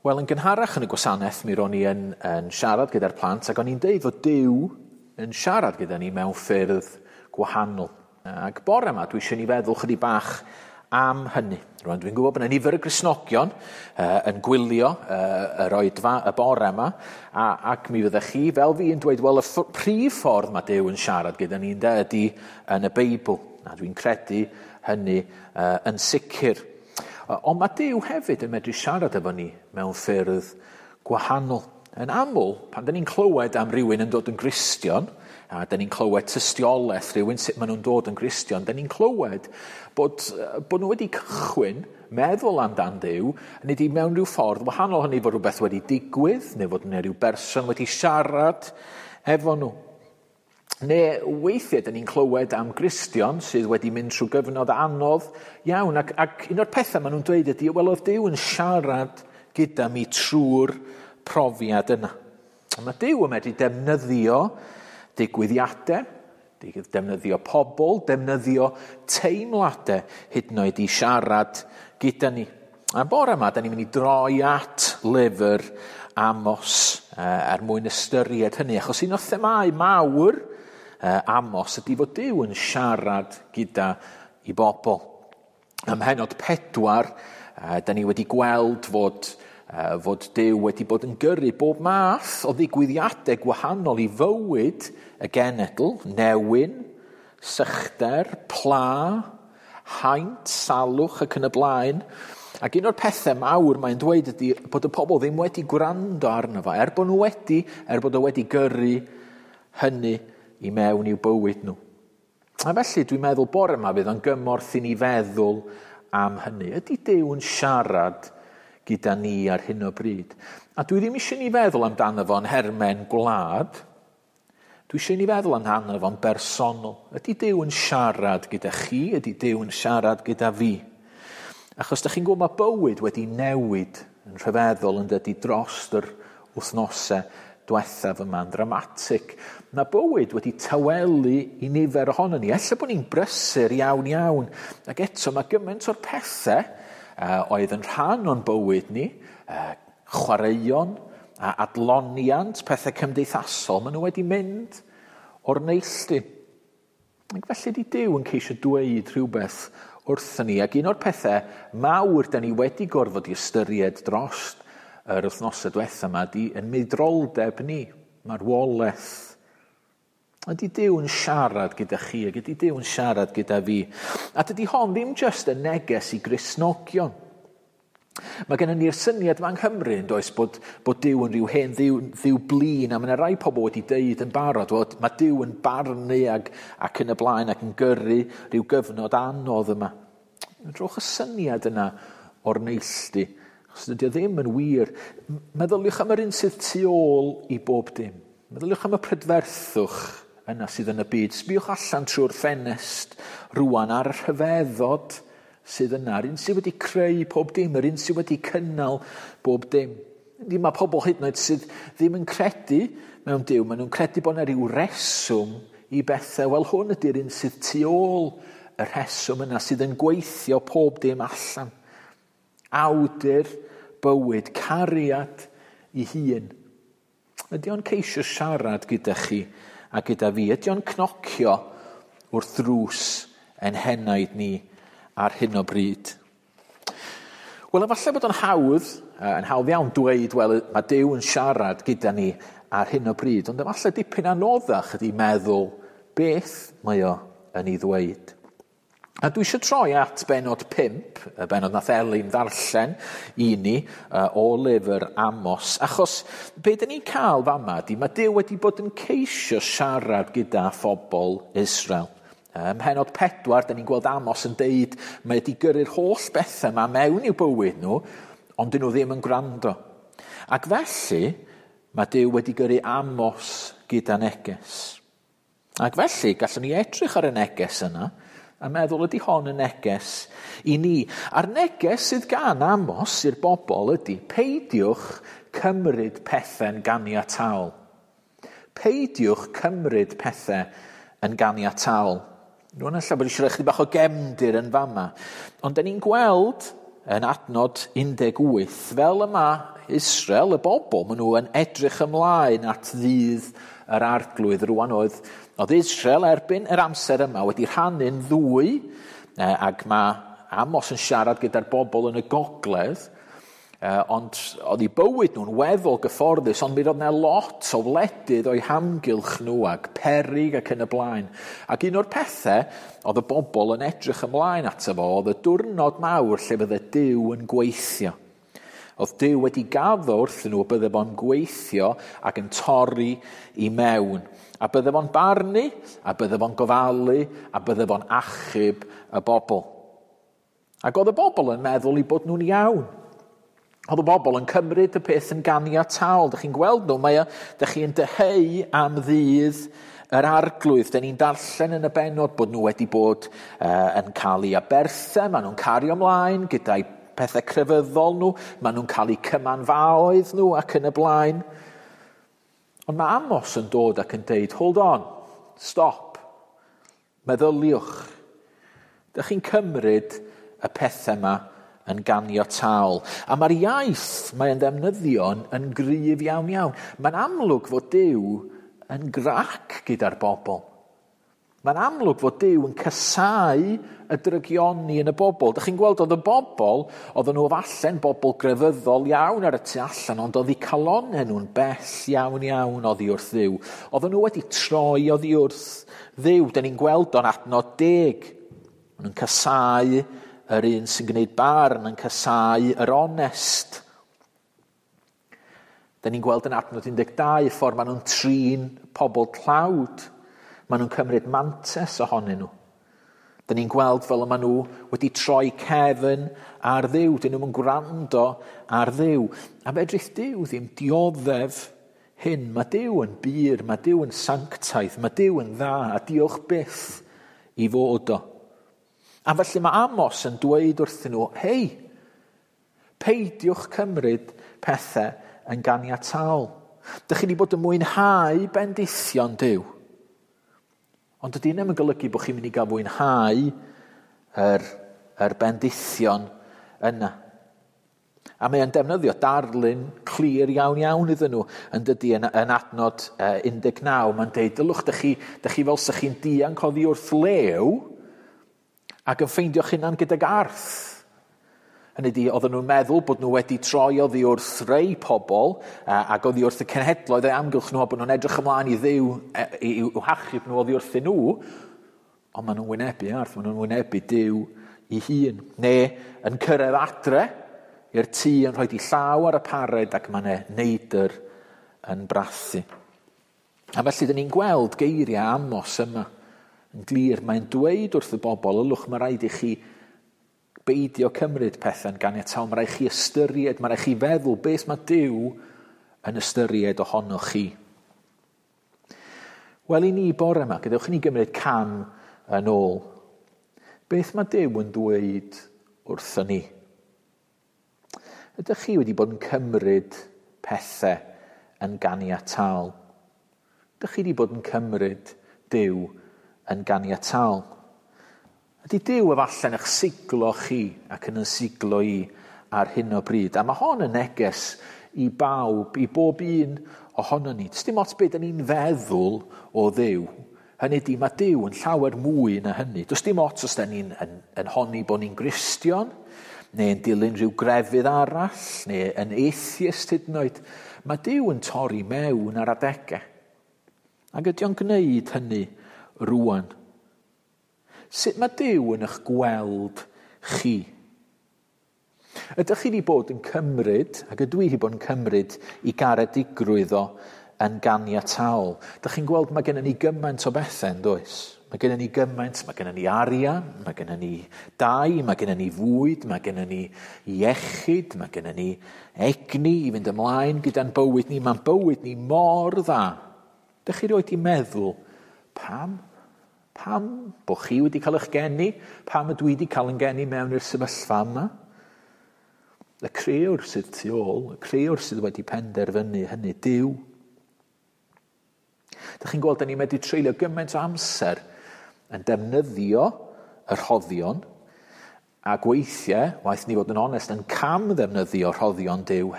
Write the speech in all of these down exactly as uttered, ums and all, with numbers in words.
Wel, yn gynharach yn y gwasanaeth, mi ro'n i yn, yn siarad gyda'r plant, ac o'n i'n deud fod Duw yn siarad gyda ni mewn ffyrdd gwahanol. Ac bore yma, dwi eisiau ni feddwl chydig bach am hynny. Rwan, dwi'n gwybod bod yna nifer y Gristnogion uh, yn gwylio uh, yr oedfa y bore yma, a, ac mi fyddech chi, fel fi, yn dweud, wel, y prif ffordd mae Duw yn siarad gyda ni ynde, ydy yn y Beibl. A dwi'n credu hynny uh, yn sicr. Ond mae Duw hefyd yn medru siarad efo ni mewn ffyrdd gwahanol. Yn aml, pan dyn ni'n clywed am rywun yn dod yn Gristion, a dyn ni'n clywed tystiolaeth rhywun sut maen nhw'n dod yn Gristion, dyn ni'n clywed bod, bod nhw wedi cychwyn meddwl amdan Duw, nid i mewn rhyw ffordd wahanol, hynny fod rhywbeth wedi digwydd, neu fod yna rhyw berson wedi siarad efo nhw. Neu weithiau, dyn ni'n clywed am Gristion sydd wedi mynd trwy gyfnod anodd iawn, ac, ac un o'r pethau maen nhw'n dweud ydy, wel, oedd Duw yn siarad gyda mi trwy'r profiad yna. A mae Duw yn medru defnyddio digwyddiadau, defnyddio pobl, defnyddio teimladau hyd yn oed i siarad gyda ni. A bore yma, da ni'n mynd i droi at lyfr Amos er mwyn ystyried hynny, achos un o'r themâu mawr Amos ydy fod Duw yn siarad gyda i bobl. Ym mhennod pedwar, da ni wedi gweld fod, fod Duw wedi bod yn gyrru bob math o ddigwyddiadau gwahanol i fywyd y genedl, newyn, sychder, pla, haint, salwch ac yn y blaen. Ac un o'r pethau mawr mae'n dweud ydy bod y pobl ddim wedi gwrando arno fo, er bod nhw wedi, er bod o wedi gyrru hynny i mewn i'w bywyd nhw. A felly dwi'n meddwl bore yma fydd o'n gymorth i ni feddwl am hynny. Ydy Duw yn siarad gyda ni ar hyn o bryd? A dwi ddim eisiau ni feddwl amdano fo'n hermen gwlad. Dwi eisiau ni feddwl amdano fo'n bersonol. Ydy Duw yn siarad gyda chi? Ydy Duw yn siarad gyda fi? Achos da chi'n gwybod mae bywyd wedi newid yn rhyfeddol yn dydi dros yr wythnosau diwethaf yma'n dramatig. Mae bywyd wedi tawelu i nifer ohono ni. Ella bod ni'n brysur iawn iawn. Ac eto mae gymaint o'r pethau uh, oedd yn rhan o'n bywyd ni, uh, chwaraeon a adloniant, pethau cymdeithasol, maen nhw wedi mynd o'r neilltu. Ac felly di Duw yn ceisio dweud rhywbeth wrthyn ni. Ac un o'r pethau mawr da ni wedi gorfod i ystyried dros yr wythnosau diwetha yma di yn meidroldeb ni, marwolaeth. Ydy Duw yn siarad gyda chi, ac ydy Duw yn siarad gyda fi. A dydy hon ddim jyst y neges i Gristnogion. Mae gennym ni'r syniad yma yng Nghymru, yn does, bod, bod Duw yn rhyw hen ddiw, ddiw blin, a mae yna rai pobl wedi deud yn barod, bod mae Duw yn barnu ac, ac yn y blaen ac yn gyrru rhyw gyfnod anodd yma. Drowch y syniad yna o'r neilltu. Achos dydy o ddim yn wir. Meddyliwch am yr un sydd tu ôl i bob dim. Meddyliwch am y prydferthwch yna sydd yn y byd. Sbiwch allan trwy'r ffenest rwan ar y rhyfeddod sydd yna. Yr un sydd wedi creu pob dim, yr un sydd wedi cynnal bob dim. Mae pobl hyd yn oed sydd ddim yn credu mewn Duw. Maen nhw'n credu bod yna rhyw reswm i bethau. Wel, hwn ydy'r un sydd tu ôl y rheswm yna, sydd yn gweithio pob dim allan. Awdur bywyd, cariad i hun. Ydy o'n ceisio siarad gyda chi a gyda fi? Ydy o'n cnocio wrth ddrws ein henaid ni ar hyn o bryd? Wel, efallai bod o'n hawdd, yn hawdd iawn dweud, wel, mae Duw yn siarad gyda ni ar hyn o bryd, ond efallai dipyn anoddach ydy meddwl beth mae o yn ei ddweud. A dwi eisiau troi at bennod pump, y bennod nath Elin ddarllen i ni o lyfr Amos, achos be dyn ni'n cael fama ydy, mae Duw wedi bod yn ceisio siarad gyda phobl Israel. Ym mhennod pedwar, dyn ni'n gweld Amos yn deud mae wedi gyrru'r holl bethau yma mewn i'w bywyd nhw, ond dyn nhw ddim yn gwrando. Ac felly, mae Duw wedi gyrru Amos gyda neges. Ac felly, gallwn ni edrych ar y neges yna, a meddwl ydy hon yn neges i ni. A'r neges sydd gan Amos i'r bobl ydy peidiwch cymryd pethau'n ganiataol. Peidiwch cymryd pethau yn ganiataol. Rwy'n ella bod eisiau rhoi chydig bach o gefndir yn fama. Ond da ni'n gweld yn adnod un deg wyth, fel yma Israel, y bobl, maen nhw yn edrych ymlaen at ddydd yr arglwydd. Rwan oedd, oedd Israel erbyn yr amser yma wedi rhannu'n ddwy, ac mae Amos yn siarad gyda'r bobl yn y gogledd, ond oedd eu bywyd nhw'n weddol gyfforddus, ond mi roedd yna lot o wledydd o'u hamgylch nhw ac peryg ac yn y blaen. Ac un o'r pethau oedd y bobl yn edrych ymlaen ato fo oedd y diwrnod mawr lle bydde Duw yn gweithio. Oedd Duw wedi gaddo wrthyn nhw bydde fo'n gweithio ac yn torri i mewn. A bydde fo'n barnu, a bydde fo'n gofalu, a bydde fo'n achub y bobl. Ac oedd y bobl yn meddwl eu bod nhw'n iawn. Oedd y bobl yn cymryd y peth yn ganiataol. Dych chi'n gweld nhw, mae o, dych chi'n dyheu am ddydd yr arglwydd. Dyn ni'n darllen yn y bennod bod nhw wedi bod uh, yn cael eu aberthau, maen nhw'n cario ymlaen gyda'i pethau crefyddol nhw, maen nhw'n cael eu cymanfaoedd nhw ac yn y blaen. Ond mae Amos yn dod ac yn deud, hold on, stop, meddyliwch. Dych chi'n cymryd y pethau yma yn ganiataol. A mae'r iaith mae'n ddefnyddio yn gryf iawn iawn. Mae'n amlwg fod Duw yn grac gyda'r bobl. Mae'n amlwg fod Duw yn casáu y drygioni yn y bobl. Dych chi'n gweld oedd y bobl, oedden nhw falle'n bobl grefyddol iawn ar y tu allan, ond oedd eu calonnau nhw'n bell iawn iawn oddi wrth Dduw. Oedden nhw wedi troi oddi wrth Dduw. Dyn ni'n gweld o'n adnod deg. Maen nhw'n casáu yr un sy'n gwneud barn, yn casáu yr onest. Dyn ni'n gweld yn adnod un deg dau y ffordd maen nhw'n trin pobl tlawd. Maen nhw'n cymryd mantais ohonyn nhw. Dyn ni'n gweld fel y maen nhw wedi troi cefn ar Dduw. Dyn nhw'n gwrando ar Dduw. A fedrith Duw ddim dioddef hyn. Mae Duw yn bur, mae Duw yn sanctaidd, mae Duw yn dda, a diolch byth i fod o. A felly mae Amos yn dweud wrthyn nhw, hei, peidiwch cymryd pethau yn ganiataol. Dych chi wedi bod yn mwynhau bendithion Duw. Ond dydy ddim yn golygu bod chi'n mynd i gael mwynhau yr, yr bendithion yna. A mae o'n defnyddio darlun clir iawn iawn iddyn nhw yn dydy yn, yn adnod un deg naw. Mae'n deud, dylwch, dych chi, dych chi fel sa'ch chi'n dianc oddi wrth lew ac yn ffeindio'ch hunan gydag arth. Hynny ydi, oedden nhw'n meddwl bod nhw wedi troi oddi wrth rei pobl ac oddi wrth y cenhedloedd eu amgylch nhw, a bod nhw'n edrych ymlaen i Dduw i'w hachub nhw oddi wrthyn nhw, ond maen nhw'n wynebu arth, maen nhw'n wynebu Duw ei hun. Neu yn cyrraedd adre i'r tŷ yn rhoi di llaw ar y pared ac mae yna neidr yn brathu. A felly, dyn ni'n gweld geiriau Amos yma yn glir. Mae'n dweud wrth y bobl, ylwch, mae rhaid i chi beidio cymryd pethau'n ganiataol, mae rhaid chi ystyried, mae rhaid chi feddwl beth mae Duw yn ystyried ohonoch chi. Wel, i ni bore yma, gadewch i ni gymryd cam yn ôl. Beth mae Duw yn dweud wrthon ni? Ydych chi wedi bod yn cymryd pethau yn ganiataol? Ydych chi wedi bod yn cymryd Duw yn ganiataol? Ydy Duw efallai'n eich siglo chi ac yn yn siglo i ar hyn o bryd? A mae hon yn neges i bawb, i bob un ohono ni. Does dim ots beth ni'n feddwl o Dduw. Hynny ydy, mae Duw yn llawer mwy na hynny. Does dim ots os da ni'n yn, yn honni bod ni'n Gristion, neu yn dilyn rhyw grefydd arall, neu yn atheist hyd yn oed. Mae Duw yn torri mewn ar adegau. Ac ydy o'n gwneud hynny rwan? Sut mae Duw yn eich gweld chi? Ydych chi wedi bod yn cymryd, ac ydw i wedi bod yn cymryd, i garedigrwydd o yn ganiataol? Dych chi'n gweld mae gennym ni gymaint o bethau, yn does? Mae gennym ni gymaint, mae gennym ni arian, mae gennym ni dai, mae gennym ni fwyd, mae gennym ni iechyd, mae gennym ni egni i fynd ymlaen gyda'n bywyd ni. Mae'n bywyd ni mor dda. Dych chi roed i meddwl, pam? Pam bod chi wedi cael eich geni? Pam ydw i wedi cael yn geni mewn i'r sefyllfa yma? Y crëwr sydd tu ôl, y crëwr sydd wedi penderfynu hynny, Duw. Dych chi'n gweld, da ni'n medru treulio gymaint o amser yn defnyddio y rhoddion, ac weithiau, waeth ni fod yn onest, yn cam ddefnyddio rhoddion Duw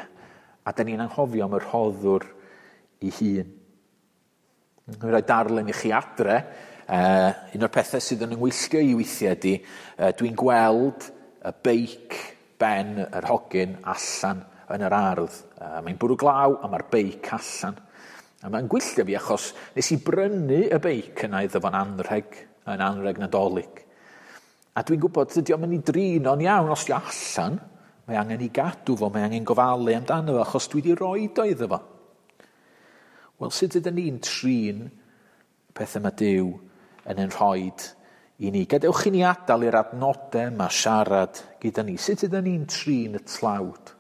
A da ni'n anghofio am y rhoddwr ei hun. Dwi'n rhoi darlun i chi adre. Uh, un o'r pethau sydd yn yngwylltio i weithiau ydy, uh, dwi'n gweld y beic Ben yr hogyn allan yn yr ardd. Uh, mae'n bwrw glaw a mae'r beic allan. A mae'n gwylltio fi achos nes i brynu y beic yna iddo fo'n anrheg, yn anrheg Nadolig. A dwi'n gwybod, dydy o'm yn ei drin o'n iawn os di allan. Mae angen i gadw fo, mae angen gofalu amdano fo, achos dwi wedi rhoi o iddo fo. Wel, sut ydyn ni'n trin pethau mae Duw yn ein rhoid i ni? Gadewch i ni adael i'r adnodau yma siarad gyda ni. Sut ydyn ni'n trin y tlawd?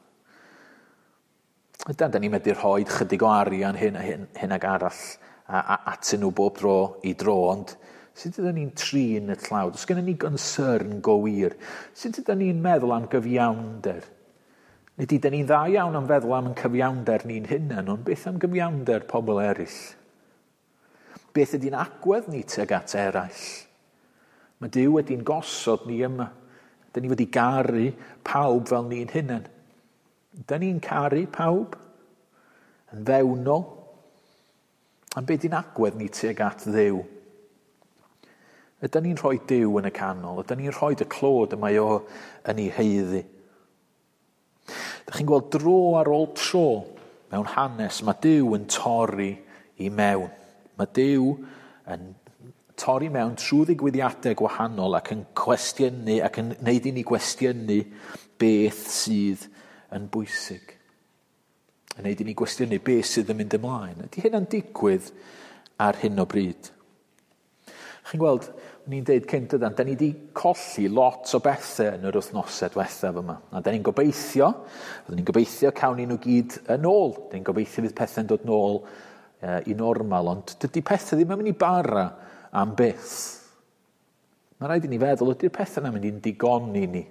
Ydan, da ni'n medru rhoi chydig o arian hyn a hyn, hyn ag arall a, a, atyn nhw bob dro i dro, ond sut ydyn ni'n trin y tlawd? Oes gennym ni gonsyrn go wir? Sut ydyn ni'n meddwl am gyfiawnder? Nid ydyn ni'n dda iawn am feddwl am yn cyfiawnder ni'n hunain, ond beth am gyfiawnder pobl eraill? Beth ydy'n agwedd ni tuag at eraill? Mae Duw wedi'n gosod ni yma. Dyn ni wedi garu pawb fel ni'n hunain. Dyn ni'n caru pawb yn fewnol. A beth ydy'n agwedd ni tuag at Dduw? Ydyn ni'n rhoi Duw yn y canol? Ydyn ni'n rhoi y clod y mae o yn ei haeddu? Dych chi'n gweld dro ar ôl tro mewn hanes, mae Duw yn torri i mewn. Mae Duw yn torri mewn trwy ddigwyddiadau gwahanol ac yn cwestiynu ac yn gwneud i ni gwestiynu beth sydd yn bwysig. Yn gwneud i ni gwestiynu beth sydd yn mynd ymlaen. Ydy hynna'n digwydd ar hyn o bryd? Chi'n gweld, ni'n deud cynt ydan, da ni wedi colli lot o bethau yn yr wythnosau diwethaf yma. A da ni'n gobeithio, byddwn ni'n gobeithio cawn ni nhw gyd yn ôl. Da ni'n gobeithio fydd pethau'n dod nôl uh, i normal, ond dydy pethau ddim yn mynd i bara am byth. Mae rhaid i ni feddwl, ydy'r pethau yna'n mynd i'n digoni ni?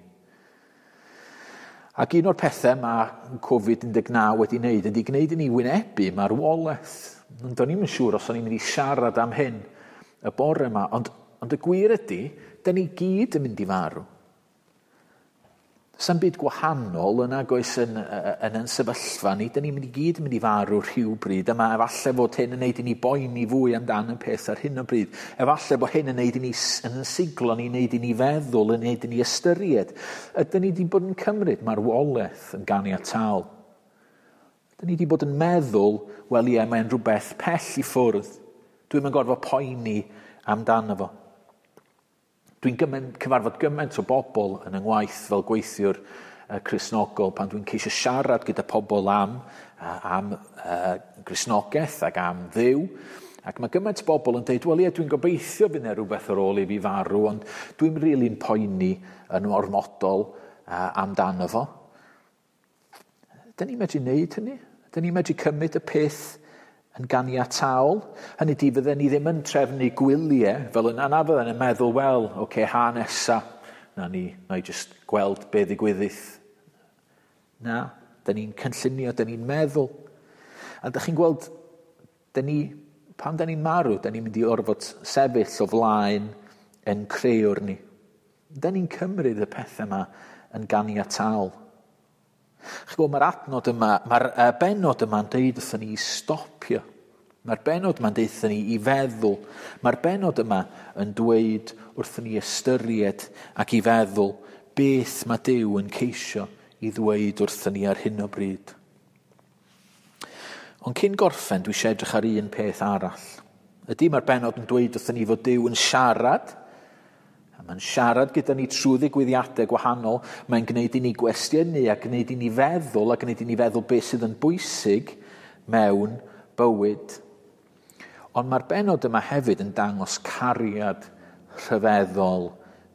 Ac un o'r pethau mae Covid un deg naw wedi wneud ydy gwneud i ni wynebu marwolaeth. Ond do'n i'm yn siŵr os o'n i'n mynd i siarad am hyn y bore yma, ond, ond y gwir ydy, da ni gyd yn mynd i farw. Sa'm byd gwahanol yn agos yn, yn, yn sefyllfa ni, da ni'n mynd i gyd yn mynd i farw rhywbryd, a mae efallai fod hyn yn neud i ni boeni fwy amdan y peth ar hyn o bryd. Efallai bod hyn yn neud i ni yn siglo ni, neud i ni feddwl, yn neud i ni ystyried. Ydyn ni wedi bod yn cymryd marwolaeth yn ganiataol? Ydyn ni wedi bod yn meddwl, wel ie, mae'n rhywbeth pell i ffwrdd. Dwi'm yn gorfod poeni amdano fo. Dwi'n gymaint, cyfarfod gymaint o bobl yn yng ngwaith fel gweithiwr uh, Cristnogol pan dwi'n ceisio siarad gyda pobl am, uh, am uh, Gristnogaeth ac am Dduw. Ac mae gymaint o bobl yn dweud, wel ie, dwi'n gobeithio fydd yna rhywbeth ar ôl i fi farw, ond dwi'n rili'n poeni yn ormodol uh, amdano fo. Dyn ni'n medru wneud hynny? Dyn ni'n medru cymryd y peth yn ganiataol? Hynny di, fydden ni ddim yn trefnu gwyliau fel yna, na fydden yn meddwl, wel, oce, okay, ha nesa, na ni, na i just gweld be ddigwyddith. Na, dyn ni'n cynllunio, dyn ni'n meddwl. A dych chi'n gweld, dyn ni, pan dyn ni'n marw, dyn ni'n mynd i orfod sefyll o flaen yn creuwr ni. Dyn ni'n cymryd y pethau yma yn ganiataol. Chi'n gwybod, mae'r adnod yma, mae'r bennod yma'n deud wrthon ni i stopio. Mae'r bennod yma'n deud wrthon ni i feddwl. Mae'r bennod yma yn dweud wrthon ni ystyried ac i feddwl beth mae Duw yn ceisio i ddweud wrthon ni ar hyn o bryd. Ond cyn gorffen, dwi eisiau edrych ar un peth arall. Ydy, mae'r bennod yn dweud wrthon ni fod Duw yn siarad. Mae'n siarad gyda ni trwy ddigwyddiadau gwahanol. Mae'n gwneud i ni gwestiynu a gwneud i ni feddwl a gwneud i ni feddwl beth sydd yn bwysig mewn bywyd. Ond mae'r bennod yma hefyd yn dangos cariad rhyfeddol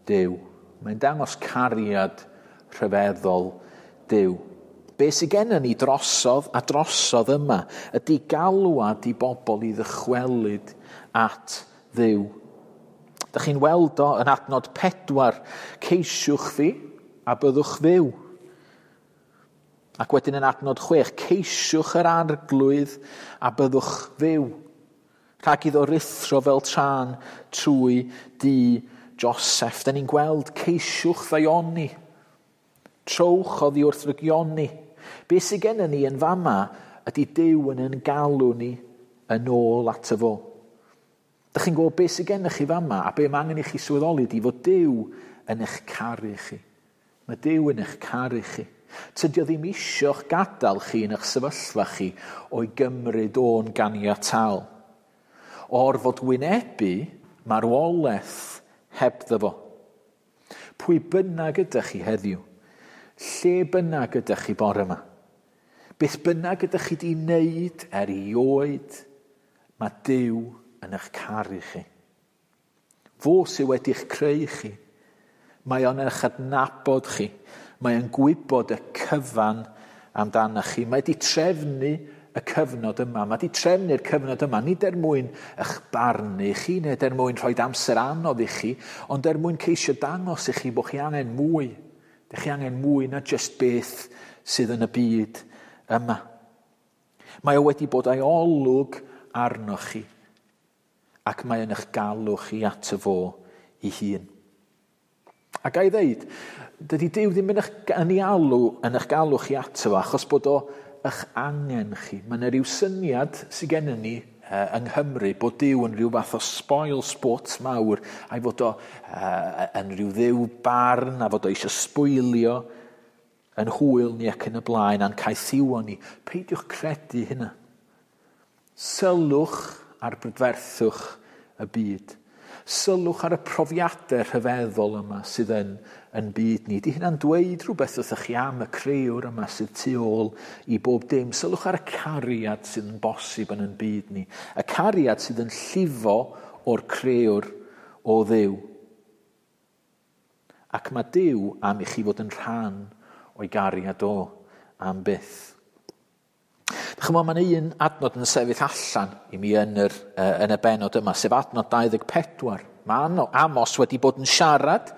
Duw. Mae'n dangos cariad rhyfeddol Duw. Be sydd gennym ni drosodd a drosodd yma ydy galwad i bobl i ddychwelyd at Dduw. Dych chi'n weld o yn adnod pedwar, ceisiwch fi a byddwch fyw. Ac wedyn yn adnod chwech, ceisiwch yr arglwydd a byddwch fyw. Rhag iddo ruthro fel tân trwy dŷ Joseph. Da ni'n gweld ceisiwch ddaioni. Trowch oddi wrth rygioni. Be sydd gennym ni yn fama ydy Duw yn yn galw ni yn ôl ato fo. Dych chi'n gwybod beth sydd gennych chi fama a be mae angen i chi sylweddoli ydy fod Duw yn eich caru chi. Mae Duw yn eich caru chi. Tydi o ddim isio'ch gadael chi yn eich sefyllfa chi o'i gymryd o'n ganiataol. O'r fod wynebu marwolaeth hebddo fo. Pwy bynnag ydych chi heddiw, lle bynnag ydych chi bore yma, beth bynnag ydych chi di wneud erioed, mae Duw yn eich caru chi. Fo sydd wedi'ch creu chi. Mae o'n eich adnabod chi. Mae o'n gwybod y cyfan amdanoch chi. Mae wedi trefnu y cyfnod yma. Mae wedi trefnu'r cyfnod yma, nid er mwyn eich barnu chi, neu er mwyn rhoi amser anodd i chi, ond er mwyn ceisio dangos i chi bod chi angen mwy. Dych chi angen mwy na jyst beth sydd yn y byd yma. Mae o wedi bod a'i olwg arnoch chi, ac mae yn eich galw chi ato fo ei hun. A ga i ddeud, dydy Duw ddim yn eich, yn ei alw, yn eich galw chi ato fo, achos bod o eich angen chi. Mae yna rhyw syniad sydd gennym ni uh, yng Nghymru bod Duw yn rhyw fath o spoil sport mawr, a'i fod o uh, yn rhyw dduw barn, a fod o eisiau sbwylio yn hwyl ni ac yn y blaen, a'n caethiwo ni. Peidiwch credu hynna. Sylwch ar brydferthwch y byd. Sylwch ar y profiadau rhyfeddol yma sydd yn, yn byd ni. Di hynna'n dweud rhywbeth wrthych chi am y creuwr yma sydd tu ôl i bob dim. Sylwch ar y cariad sydd yn bosib yn yn byd ni. Y cariad sydd yn llifo o'r creuwr o Dduw. Ac mae Duw am i chi fod yn rhan o'i gariad o am byth. Chymod, mae'n un adnod yn sefyll allan i mi yn, yr, uh, yn y benod yma, sef adnod dau ddeg pedwar. Mae Amos wedi bod yn siarad,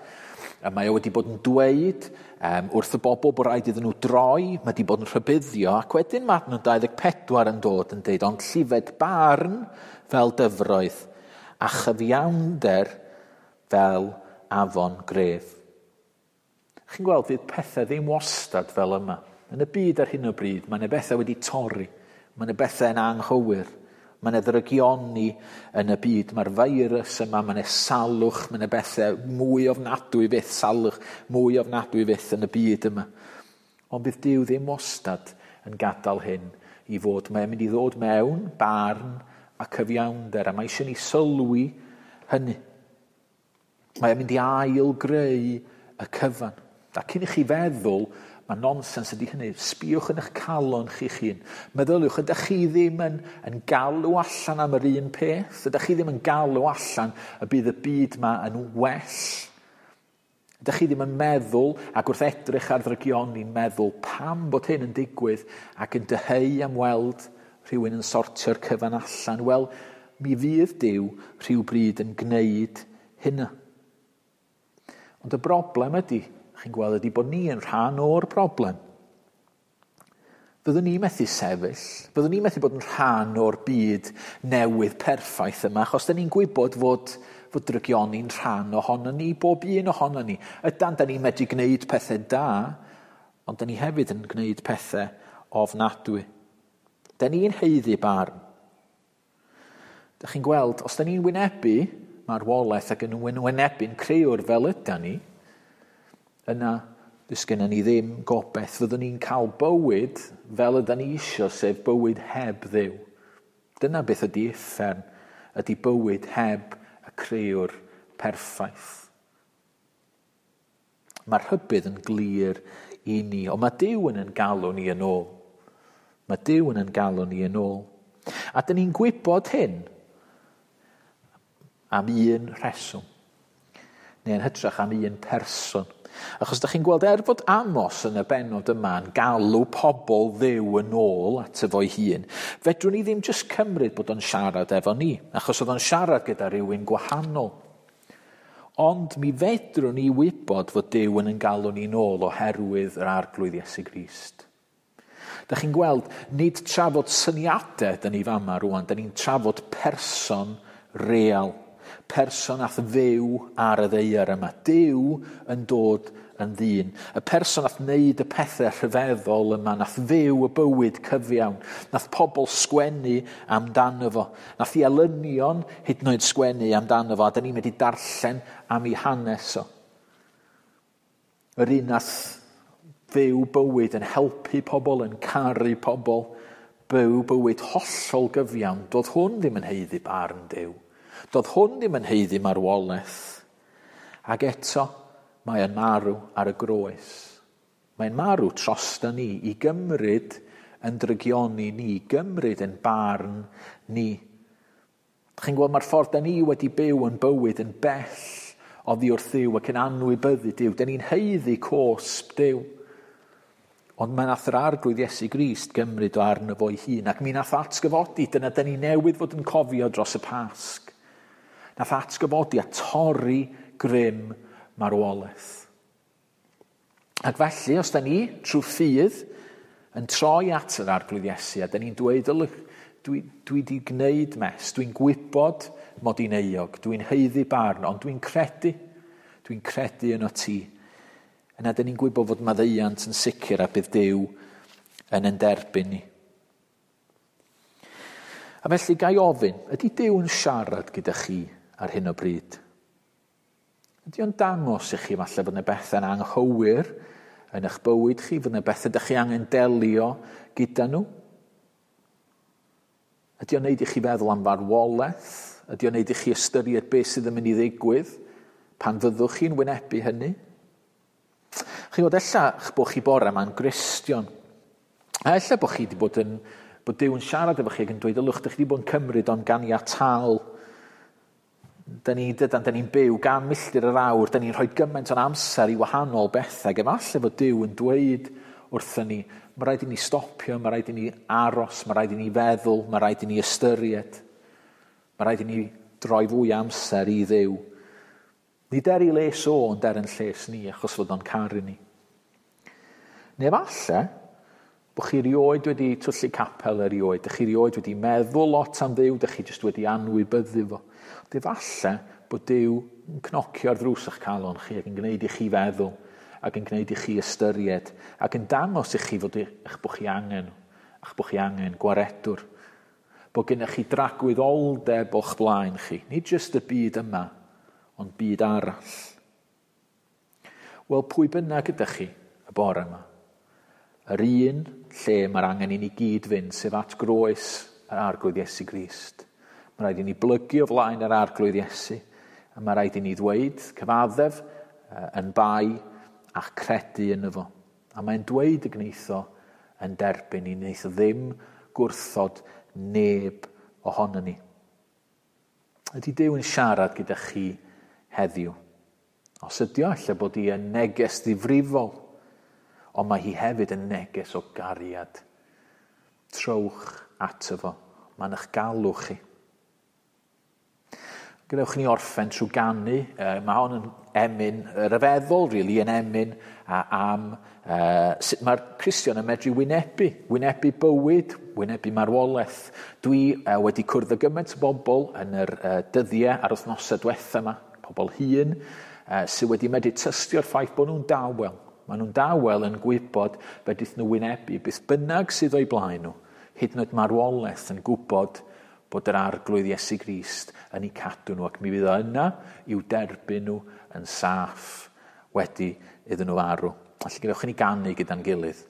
a mae o wedi bod yn dweud um, wrth y bobl bod rhaid iddyn nhw droi, mae wedi bod yn rhybuddio, ac wedyn mae adnod dau ddeg pedwar yn dod yn dweud, ond llifed barn fel dyfroedd, a chyfiawnder fel afon gref. Chi'n gweld, fydd pethau ddim wastad fel yma. Yn y byd ar hyn o bryd, mae yna bethau wedi torri, mae yna bethau yn anghywir, mae yna ddrygioni yn y byd, mae'r feirws yma, mae yna salwch, mae yna bethau mwy ofnadwy fyth, salwch mwy ofnadwy fyth yn y byd yma. Ond bydd Duw ddim wastad yn gadael hyn i fod. Mae'n mynd i ddod mewn barn a cyfiawnder, a mae eisiau ni sylwi hynny. Mae'n mynd i ail-greu y cyfan. A cyn i chi feddwl, mae nonsens ydy hynny. Sbïwch yn eich calon chi'ch hun. Meddyliwch, ydych chi ddim yn, yn galw allan am yr un peth? Ydych chi ddim yn galw allan y bydd y byd yma yn well? Ydych chi ddim yn meddwl, ac wrth edrych ar ddrygioni'n meddwl pam bod hyn yn digwydd ac yn dyheu am weld rhywun yn sortio'r cyfan allan? Wel, mi fydd Duw rhywbryd yn gwneud hynna. Ond y broblem ydy, chi'n gweld, ydy bod ni yn rhan o'r broblem. Fyddwn ni methu sefyll, fyddwn ni methu bod yn rhan o'r byd newydd perffaith yma, achos da ni'n gwybod fod, fod drygioni'n rhan ohono ni, bob un ohono ni. Ydan, da ni'n medru gwneud pethau da, ond da ni hefyd yn gwneud pethau ofnadwy. Da ni'n haeddu barn. Da chi'n gweld, os da ni'n wynebu marwolaeth ac yn wynebu'n creuwr fel ydan ni, yna does gennym ni ddim gobaith. Fyddwn ni'n cael bywyd fel ydan ni isio, sef bywyd heb Dduw. Dyna beth ydy uffern, ydy bywyd heb y creuwr perffaith. Mae'r rhybudd yn glir i ni, ond mae Duw yn ein galw ni yn ôl. Mae Duw yn ein galw ni yn ôl. A dyn ni'n gwybod hyn am un rheswm, neu yn hytrach am un person. Achos da chi'n gweld, er fod Amos yn y bennod yma yn galw pobl Dduw yn ôl ato fo'i hun, fedrwn ni ddim jyst cymryd bod o'n siarad efo ni, achos oedd o'n siarad gyda rhywun gwahanol. Ond mi fedrwn ni wybod fod Duw yn ein galw ni'n ôl oherwydd yr Arglwydd Iesu Grist. Da chi'n gweld, nid trafod syniadau da ni fama rwan, da ni'n trafod person real. Person ath fyw ar y ddaear yma. Duw yn dod yn ddyn. Y person nath wneud y pethau rhyfeddol yma, nath fyw y bywyd cyfiawn, nath pobl sgwennu amdano fo, nath i elynion hyd yn oed sgwennu amdano fo, a da ni'n mynd i darllen am ei hanes o. Yr un nath fyw bywyd yn helpu pobl, yn caru pobl, byw bywyd hollol gyfiawn, doedd hwn ddim yn haeddu barn Duw. Doedd hwn ddim yn haeddu marwolaeth. Ac eto, mae yn marw ar y groes. Mae'n marw trosta ni i gymryd yn drygioni ni, i gymryd yn barn ni. Chi'n gweld, mae'r ffordd da ni wedi byw yn bywyd yn bell oddi wrth Dduw ac yn anwybyddu Duw. Da ni'n haeddu cosb Duw. Ond mae nath yr Arglwydd Iesu Grist gymryd o arno fo'i hun, ac mi nath atgyfodi, dyna da ni newydd fod yn cofio dros y Pasg. Nath atgyfodi a torri grym marwolaeth. Ac felly, os da ni, trwy ffydd, yn troi at yr Arglwydd Iesu, a da ni'n dweud, ylwch, dwi, dwi di gwneud mes, dwi'n gwybod mod i'n euog, dwi'n haeddu barn, ond dwi'n credu, dwi'n credu yno ti. Yna dyn ni'n gwybod fod maddeuant yn sicr a bydd Duw yn yn derbyn ni. A felly gai ofyn, ydy Duw yn siarad gyda chi ar hyn o bryd? Ydy o'n dangos i chi falle fod yna bethau'n anghywir yn eich bywyd chi, fod yna bethau ydych chi angen delio gyda nhw? Ydy o'n neud i chi feddwl am farwolaeth? Ydy o'n neud i chi ystyried beth sydd yn mynd i ddigwydd pan fyddwch chi'n wynebu hynny? Chi'n gwybod, ella bod chi bore yma'n Gristion. A ella bod chi wedi bod yn, bod Duw yn siarad efo chi ac yn dweud, ylwch, dych chi wedi bod yn cymryd o'n ganiataol. Da ni, dydan, da ni'n byw gan milltir yr awr, da ni'n rhoi gymaint o'n amser i wahanol bethau. Ac efallai fod Duw yn dweud wrthyn ni, mae rhaid i ni stopio, mae rhaid i ni aros, mae rhaid i ni feddwl, mae rhaid i ni ystyried. Mae rhaid i ni droi fwy amser i Dduw. Nid er ei les o, ond er yn lles ni, achos fod o'n caru ni. Neu falle, bod chi erioed wedi twyllu capel erioed, dych chi erioed wedi meddwl lot am Dduw, dych chi jyst wedi anwybyddu fo. Ond efallai bod Duw yn cnocio ar ddrws eich calon chi ac yn gwneud i chi feddwl, ac yn gwneud i chi ystyried, ac yn dangos i chi fod eich bod chi angen, a'ch bod chi angen gwaredwr. Bod gennych chi dragwyddoldeb o'ch blaen chi, nid jyst y byd yma, ond byd arall. Wel, pwy bynnag ydych chi y bore yma? Yr un lle mae'r angen i ni gyd fynd, sef at groes yr Arglwydd Iesu Grist. Mae rhaid i ni blygu o flaen yr Arglwydd Iesu, a mae rhaid i ni ddweud, cyfaddef, yn bai a'ch credu yno fo. A mae'n dweud y gneitho yn derbyn ni, wneith o ddim gwrthod neb ohono ni. Ydy Duw yn siarad gyda chi heddiw? Os ydy o, ella bod hi yn neges ddifrifol, ond mae hi hefyd yn neges o gariad. Trowch ato fo. Mae'n eich galw chi. Gadewch ni orffen trwy ganu. Mae hon yn emyn ryfeddol, really, yn emyn am uh, sut mae'r Cristion yn medru wynebu, wynebu bywyd, wynebu marwolaeth. Dwi uh, wedi cwrdd â gymaint o bobl yn yr uh, dyddiau a'r wythnosau diwetha yma, pobl hŷn, uh, sydd wedi medru tystio'r ffaith bod nhw'n dawel. Maen nhw'n dawel yn gwybod fedrith nhw wynebu beth bynnag sydd o'i blaen nhw, hyd yn oed marwolaeth, yn gwybod bod yr Arglwydd Iesu Grist yn eu cadw nhw, ac mi fydd o yna i'w derbyn nhw yn saff wedi iddyn nhw farw. Felly gadewch i ni ganu gyda'n gilydd.